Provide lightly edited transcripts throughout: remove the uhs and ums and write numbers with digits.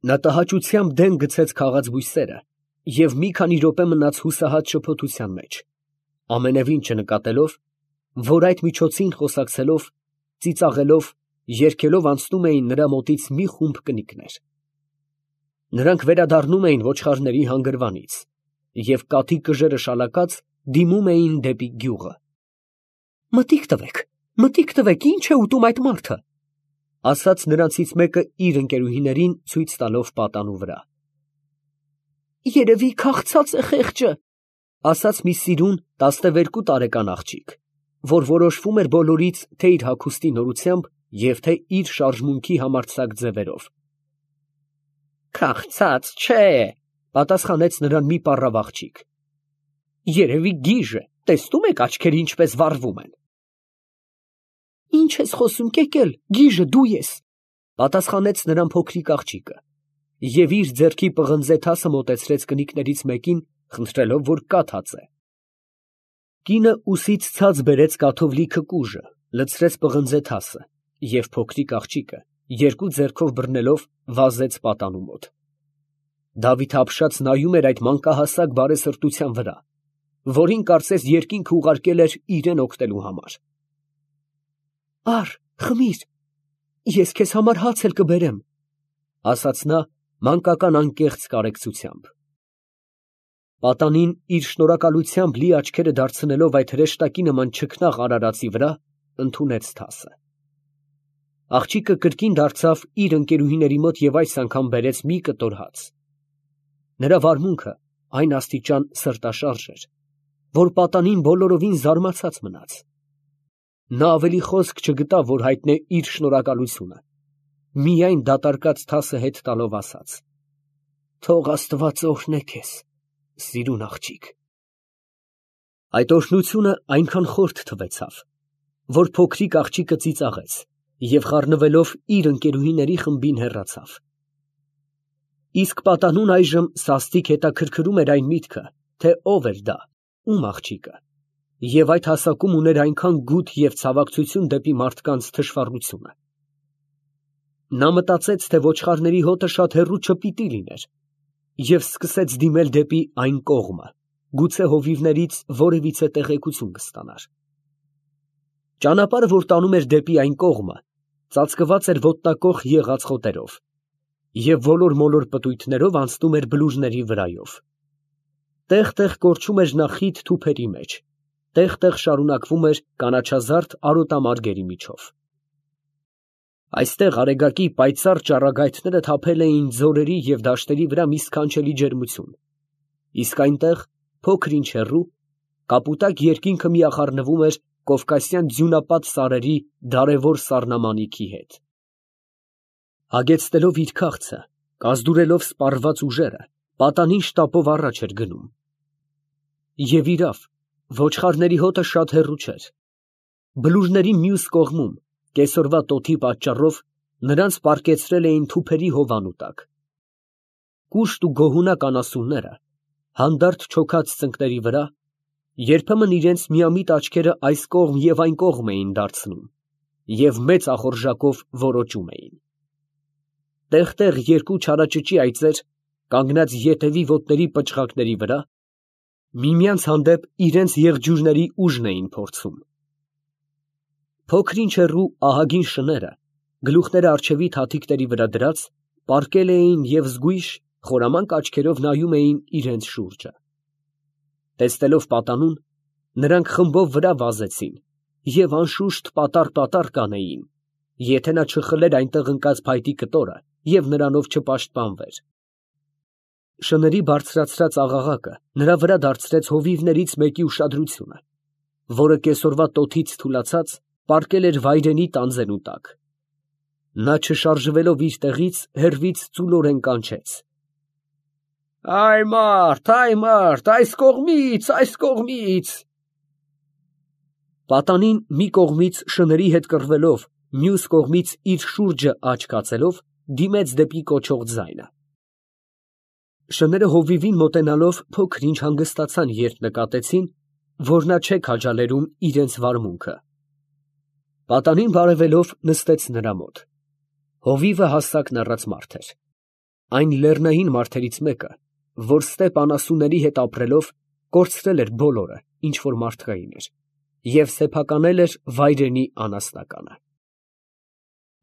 Նա տհաճությամբ դեն գցեց քաղած բույսերը և մի քանի րոպե մնաց հուսահատ շփոթության մեջ, ամենևին չնկատելով, որ այդ միջոցին խոսակցելով, ծիծաղելով, երգելով անցնում էին նրա մոտից մի խումբ կնիկներ. նրանք վերադառնում էին ոչխարների հանգրվանից և կաթի կժերը շալակած դիմում էին դեպի գյուղը։ Մտիկ տվեք, ի՞նչ է ուտում այդ մարդը, ասաց նրանցից մեկը իր ընկերուհիներին ցույց տալով պատանու վրա։ Երևի քաղցած է խեղճը, ասաց մի սիրուն 12 տարեկան աղջիկ, որ որոշվում էր բոլորից թե իր հագուստի նորությամբ և թե իր շարժմունքի համարձակ ձևերով։ Քաղցած չէ, պատասխանեց նրան մի պառավ աղջիկ։ Երևի գիժ է, տեսնում եք աչքերը ինչպես վառվում են։ Ինչ ես խոսում, կեկել, գիժը դու ես, պատասխանեց նրան փոքրիկ աղջիկը և իր ձեռքի պղնձե թասը մոտեցրեց կնիկներից մեկին, խնդրելով, որ կաթ հացե։ Կինը ուսից ցած բերեց կաթով լիքը կուժը, լցրեց պղնձե թասը և փոքրիկ աղջիկը, երկու ձեռքով բռնելով, վազեց պատանու մոտ։ Դավիթը ապշած նայում էր այդ մանկահասակ բարեսրտության վրա, որին կարծես երկինքը ուղարկել էր իրեն օգնելու համար։ Առ, խմիր, ես քեզ համար հաց էլ կբերեմ, ասաց նա մանկական անկեղծ կարեկցությամբ։ Պատանին իր շնորհակալությամբ լի աչքերը դարձնելով այդ հրեշտակի նման չքնաղ արարածի վրա, ընդունեց թասը։ Աղջիկը կրկին դարձավ իր ընկերուհիների մոտ և այս անգամ բերեց մի կտոր հաց։ Նրա վարմունքը այն աստիճան սրտաշարժ էր, որ պատանին բոլորովին զարմացած մնաց։ Նա ավելի խոսք չգտավ, որ հայտնե իր շնորհակալությունը, միայն դատարկած թասը հետ տալով ասաց. Թող Աստված օրհնե քեզ, սիրուն աղջիկ։ Այդ օրհնությունը այնքան խորթ թվեցավ, որ փոքրիկ աղջիկը ծիծաղեց և խառնվելով իր ընկերուհիների խմբին հեռացավ։ Իսկ պատանուն այժմ սաստիկ հետաքրքրում էր այն միտքը, թե ով էր դա, ում աղջիկը, և այդ հասակում ուներ այնքան գութ և ցավակցություն դեպի մարդկանց թշվառությունը։ Նա մտածեց, թե ոչխարների հոտը շատ հեռու չպիտի լիներ, և սկսեց դիմել դեպի այն կողմը, գուցե հովիվներից որևիցե տեղեկություն կստանար։ Ճանապարհը, որ տանում էր դեպի այն կողմը, ծածկված էր ոտնակոխ եղած խոտերով և ոլոր֊մոլոր պտույտներով անցնում էր բլուրների վրայով։ Տեղ֊տեղ կորչում էր նա խիտ թուփերի մեջ, տեղ֊տեղ շարունակվում էր կանաչազարդ արոտամարգերի միջով։ Այստեղ արեգակի պայծառ ճառագայթները թափել էին ձորերի և դաշտերի վրա մի սքանչելի ջերմություն, իսկ այնտեղ, փոքր ինչ հեռու, կապուտակ երկինքը միախառնվում էր կովկասյան ձյունապատ սարերի դարևոր սառնամանիքի հետ։ Հագեցնելով իր քաղցը, կազդուրելով սպառված ուժերը, պատանին շտապով առաջ էր գնում։ Եվ իրավ, ոչխարների հոտը շատ հեռու չէր։ Բլուրների մյուս կողմում, կեսօրվա տոթի պատճառով, նրանց պառկեցրել էին թուփերի հովանու տակ։ Կուշտ ու գոհունակ անասունները, հանդարտ չոքած ծնկների վրա, երբեմն իրենց միամիտ աչքերը այս կողմ և այն կողմ էին դարձնում և մեծ ախորժակով որոճում էին։ Տեղ֊տեղ երկու չարաճճի այծեր, կանգնած ետևի ոտների պչղակների վրա, միմյանց հանդեպ իրենց եղջյուրների ուժն էին փորձում։ Փոքր ինչ հեռու ահագին շները, գլուխները առջևի թաթիկների վրա դրած, պառկել էին և զգույշ, խորամանկ աչքերով նայում էին իրենց շուրջը։ Տեսնելով պատանուն, նրանք խմբով վրա վազեցին և անշուշտ պատառ կանեին, եթե նա չխլեր այնտեղ ընկած փայտի կտորը և նրանով չպաշտպանվեր։ Շների բարձրացրած աղաղակը նրա վրա դարձրեց հովիվներից մեկի ուշադրությունը, որը կեսօրվա տոթից թուլացած, պառկել էր վայրենի տանձենու տակ։ Նա չշարժվելով իր տեղից, հեռվից ծուլորեն կանչեց. Այ մարդ, այս կողմից։ Պատանին մի կողմից շների հետ կռվելով, մյուս կողմից իր շուրջը աջ կացելով, դիմեց դեպի կոչող ձայնը։ Շները հովիվին մոտենալով փոքր ինչ հանգստացան, երբ նկատեցին, որ նա չէ քաջալերում իրենց վարմունքը։ Պատանին բարևելով նստեց նրա մոտ։ Հովիվը հասակ նեռած մարդ էր։ Այն լեռնային մարդերից մեկը, որ ստեպ անասունների հետ ապրելով կորցրել էր բոլորը, ինչ որ մարդկային էր, և սեփականել էր վայրենի անասնականը։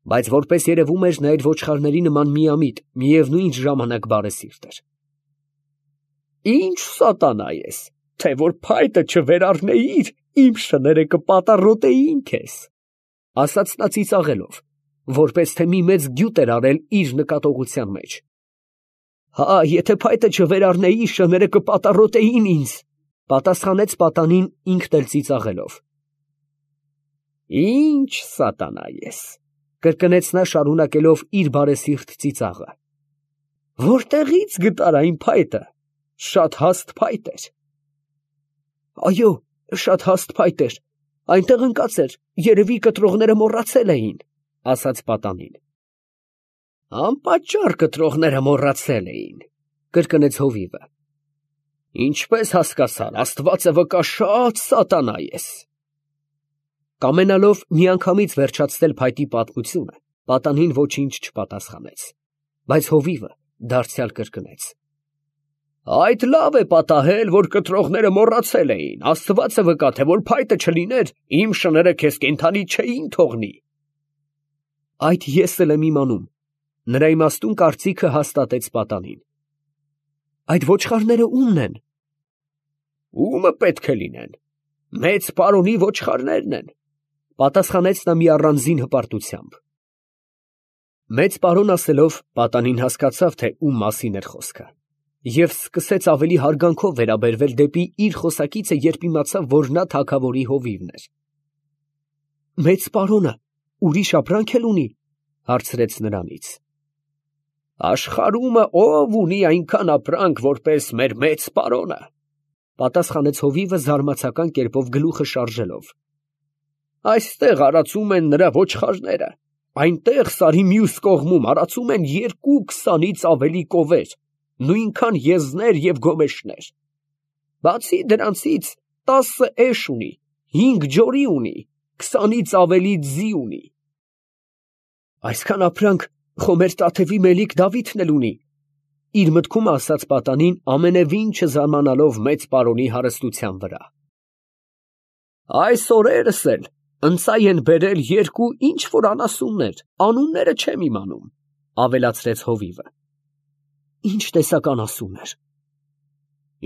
Բայց որպես երևում էր, նա իր ոչխարների նման միամիտ, միևնույն ժամանակ բարեսիրտ էր։ Ինչ սատանա ես, թե որ փայտը չվերառնեիր, իմ շները կպատառոտեին քեզ, ասաց նա ծիծաղելով, որպես թե մի մեծ գյուտ էր արել իր նկատողության մեջ։ Հա, եթե փայտը չվերառնեի, շները կպատառոտեին ինձ, պատասխանեց պատանին ինքն էլ ծիծաղելով։ Ինչ սատանա ես, կրկնեց նա շարունակելով իր բարեսիրտ ծիծաղը։ Որտեղից գտար այն փայտը, շատ հաստ փայտ էր։ Այո, շատ հաստ փայտ էր, այնտեղ ընկած էր, երևի կտրողները մոռացել էին, ասաց պատանին։ Անպատճառ կտրողները մոռացել էին, կրկնեց հովիվը։ Ինչպես հասկացար, Աստվածը վկա, շատ սատանա ես։ Կամենալով միանգամից վերջացնել փայտի պատմությունը, պատանին ոչինչ չպատասխանեց, բայց հովիվը դարձյալ կրկնեց. Այդ լավ է պատահել, որ կտրողները մոռացել էին, Աստվածը վկա, թե որ փայտը չլիներ, իմ շները քեզ կենդանի չէին թողնի։ Այդ ես էլ եմ իմանում, նրա իմաստուն կարծիքը հաստատեց պատանին։ Այդ ոչխարները ումն են։ Ումը պետք է լինեն, մեծ պարոնի ոչխարներն են, պատասխանեց նա մի առանձին հպարտությամբ։ Մեծ պարոն ասելով, պատանին հասկացավ, թե ում մասին էր խոսքը, և սկսեց ավելի հարգանքով վերաբերվել դեպի իր խոսակիցը, երբ իմացավ, որ նա թագավորի հովիվն էր։ Մեծ պարոնը ուրիշ ապրանք էլ ունի, հարցրեց նրանից։ Աշխարհումը ով ունի այնքան ապրանք, որպես մեր մեծ պարոնը, պատասխանեց հովիվը զարմացական կերպով գլուխը շարժելով։ Այստեղ արածում են նրա ոչխարները, այնտեղ սարի մյուս կողմում արածում են 2-20-ից ավելի կովեր, նույնքան եզներ և գոմեշներ։ Բացի դրանցից 10 էշ ունի, 5 ջորի ունի, 20-ից ավելի ձի ունի։ Այսքան ապրանք խո մեր տաթևի մելիք Դավիթն էլ ունի, իր մտքում ասաց պատանին, ամենևին չզամանալով մեծ պարոնի հարստության վրա։ Այս օրերս էլ ընծայ են բերել 2 ինչ որ անասուններ, անունները չեմ իմանում, ավելացրեց հովիվը։ Ինչ տեսակ անասուններ։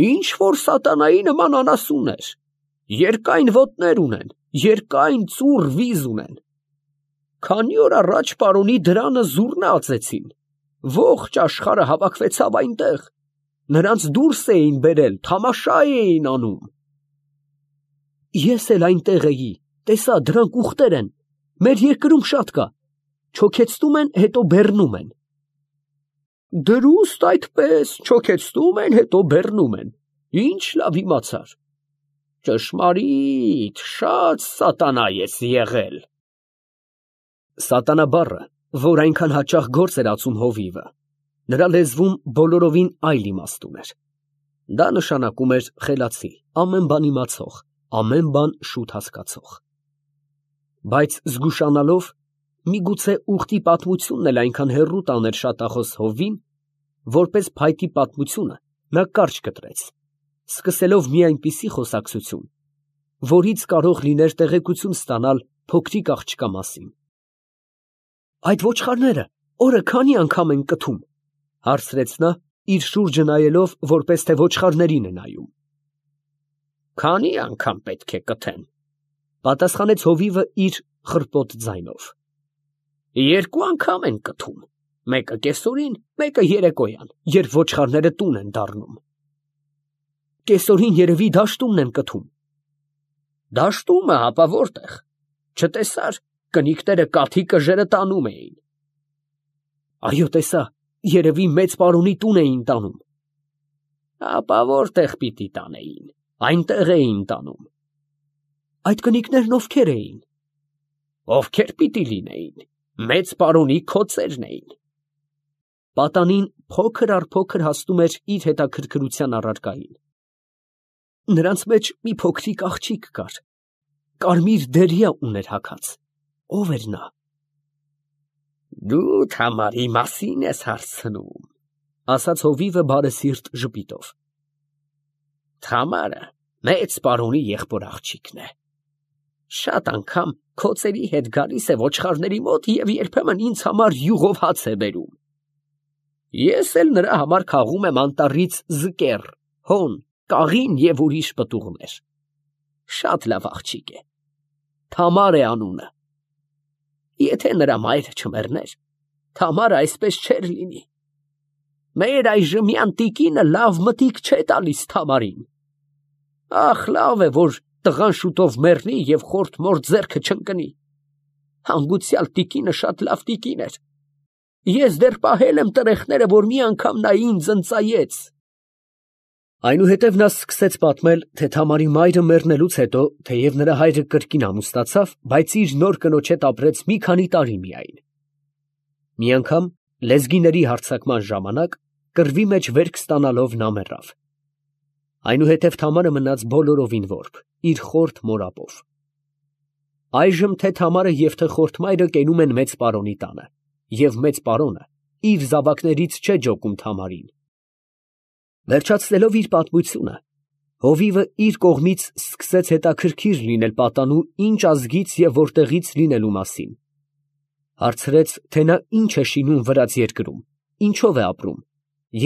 Ինչ որ սատանայի նման անասուններ, երկայն ոտներ ունեն, երկայն ծուռ վիզ ունեն։ Քանի օր առաջ պարոնի դրանը զուռնացեցին, ողջ աշխարհը հավաքվեցավ այնտեղ, նրանց դուրս էին բերել, թամաշա էին անում։ Ես էլ այնտեղ էի, տեսա, դրանք ուղտեր են, մեր երկրում շատ կա, չոքեցնում են, հետո բեռնում են։ Դրուստ այդպես, չոքեցնում են, հետո բեռնում են, ինչ լավ իմացար։ Ճշմարիտ, շատ սատանա ես եղել։ Սատանա բառը, որ այնքան հաճախ գործ էր ածում հովիվը, նրա լեզվում բոլորովին այլ իմաստ ուներ։ Դա նշանակում էր խելացի, ամեն բան իմացող, ամեն բան շուտ հասկացող։ Բայց զգուշանալով, միգուցե ուխտի պատմությունն էլ այնքան հեռու տաներ շատախոս հովին, որպես փայտի պատմությունը նա կարճ կտրեց, սկսելով մի այնպիսի խոսակցություն, որից կարող լիներ տեղեկություն ստանալ փոքրիկ աղջկա մասին։ Այդ ոչխարները օրը քանի անգամ են կթում, հարցրեց նա, իր շուրջը նայելով, որպես թե ոչխարներին է նայում։ Քանի անգամ պետք է կթեն, պատասխանեց հովիվը իր խռպոտ ձայնով։ 2 անգամ են կթում, մեկը կեսօրին, մեկը երեկոյան, երբ ոչխարները տուն են դառնում։ Կեսօրին երևի դաշտումն են կթում։ Դաշտումը հապա որտեղ, չտեսար, կնիկները կաթի կժերը տանում էին։ Այո, տեսա, երևի մեծ պարոնի տուն էին տանում։ Հապա որտեղ պիտի տանեին, այնտեղ էին տանում։ Այդ կնիկներն ովքեր էին։ Ովքեր պիտի լինեին, մեծ պարոնի քոցերն էին։ Պատանին փոքր առ փոքր հասնում էր իր հետաքրքրության առարկային։ Նրանց մեջ մի փոքրիկ աղջիկ կար, կարմիր դերիա ուներ հագած։ Ո՞վ էր նա։ Դու Թամարի մասին ես հարցնում, ասաց հովիվը բարեսիրտ ժպիտով։ Թամարը մեծ պարոնի եղբոր աղջիկն է։ Շատ անգամ քո ծերի հետ գալիս է ոչխարների մոտ և երբեմն ինձ համար յուղով հաց է բերում։ Ես էլ նրա համար քաղում եմ անտառից զկեր, հոն, կաղին և ուրիշ պտուղներ։ Շատ լավ աղջիկ է։ Թամար է անունը։ Եթե նրա մայրը չմեռներ, Թամարը այսպես չէր լինի։ Մեր այժմյան տիկինը լավ մտիկ չէ տալիս Թամարին։ Ախ, լավ է, որ տղան շուտով մեռնի և խորթ մոր ձեռքը չընկնի։ Հանգուցյալ տիկինը շատ լավ տիկին էր։ Ես դեռ պահել եմ տրեխները, որ մի անգամ նա ինձ ընծայեց։ Այնուհետև նա սկսեց պատմել, թե Թամարի մայրը մեռնելուց հետո, թեև նրա հայրը կրկին ամուսնացավ, բայց իր նոր կնոջ հետ ապրեց մի քանի տարի միայն։ Մի անգամ լեզգիների հարձակման ժամանակ կռվի մեջ վերք ստանալով նա մեռավ։ Այնուհետև Թամարը մնաց բոլորովին որբ, իր խորթ մորապով։ Այժմ թե Թամարը և թե խորթ մայրը կենում են մեծ պարոնի տանը, և մեծ պարոնը իր զավակներից չէ ջոկում Թամարին։ Վերջացնելով իր պատմությունը, հովիվը իր կողմից սկսեց հետաքրքիր լինել պատանու ինչ ազգից և որտեղից լինելու մասին։ Հարցրեց, թե նա ինչ է շինում վրաց երկրում, ինչով է ապրում,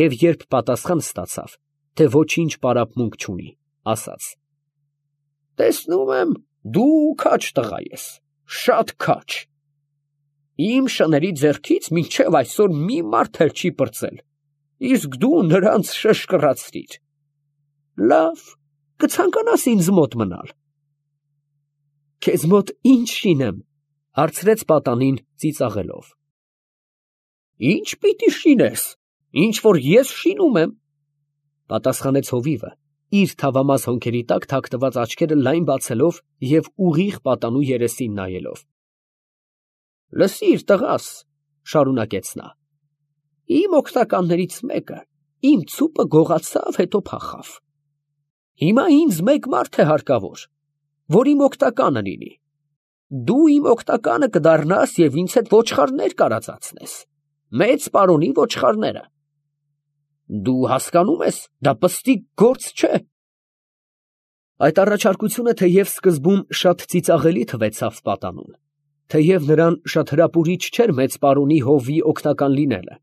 և երբ պատասխան ստացավ, թե ոչինչ պարապմունք չունի, ասաց. Տեսնում եմ, դու քաջ տղա ես, շատ քաջ։ Իմ շների ձեռքից մինչև այսօր մի մարդ էլ չի պրծել, իսկ դու նրանց շշկռացրիր։ Լավ, կցանկանաս ինձ մոտ մնալ։ Քեզ մոտ ինչ շինեմ, հարցրեց պատանին ծիծաղելով։ Ինչ պիտի շինես, ինչ որ ես շինում եմ, պատասխանեց հովիվը, իր թավամաս հոնքերի տակ թաքնված աչքերը լայն բացելով և ուղիղ պատանու երեսին նայելով։ Լսիր, տղաս, շարունակեց նա, իմ օգնականներից մեկը իմ ցուպը գողացավ, հետո փախավ։ Հիմա ինձ մեկ մարդ է հարկավոր, որ իմ օգնականը լինի։ Դու իմ օգնականը կդառնաս և ինձ հետ ոչխարներ կարածացնես, մեծ պարոնի ոչխարները։ Դու հասկանում ես, դա պստիկ գործ չէ։ Այդ առաջարկությունը թեև սկզբում շատ ծիծաղելի թվեցավ պատանուն, թեև նրան շատ հրապուրիչ չէր մեծ պարոնի հովվի օգնական լինելը,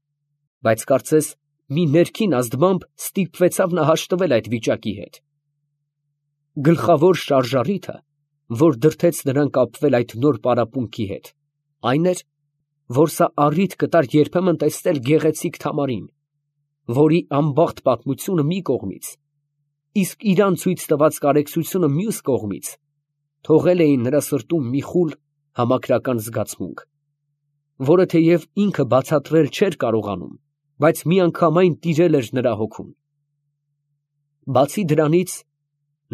բայց կարծես մի ներքին ազդմամբ ստիպվեցավ նա հաշտվել այդ վիճակի հետ։ Գլխավոր շարժառիթը, որ դրդեց նրան կապվել այդ նոր պարապմունքի հետ, այն էր, որ սա առիթ կտար երբեմն տեսնել գեղեցիկ Թամարին, որի անբախտ պատմությունը մի կողմից, իսկ իրան ցույց տված կարեկցությունը մյուս կողմից, թողել էին նրա սրտում մի խուլ համակրական զգացմունք, որը թեև ինքը բացատրել չէր կարողանում, բայց միանգամայն տիրել էր նրա հոգում։ Բացի դրանից,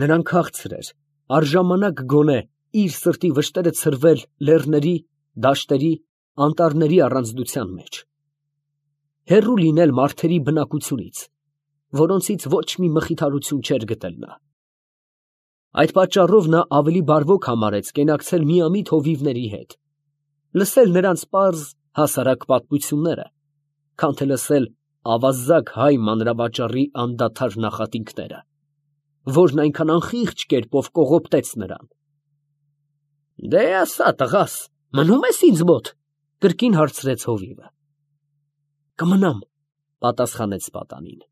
նրան քաղցր էր, առժամանակ գոնե իր սրտի վշտերը ցրվել լեռների, դաշտերի, անտառների առանձնության մեջ, հեռու լինել մարդերի բնակությունից, որոնցից ոչ մի մխիթարություն չէր գտել նա։ Այդ պատճառով նա ավելի բարվոք համարեց կենակցել միամիտ հովիվների հետ, լսել նրանց պարզ հասարակ պատմությունները, քան թե լսել ավազակ հայ մանրավաճառի անդադար նախատինքները, որն այնքան անխիղճ կերպով կողոպտեց նրան։ Դե ասա, տղաս, մնում ես ինձ մոտ, կրկին հարցրեց հովիվը։ Կմնամ, պատասխանեց պատանին։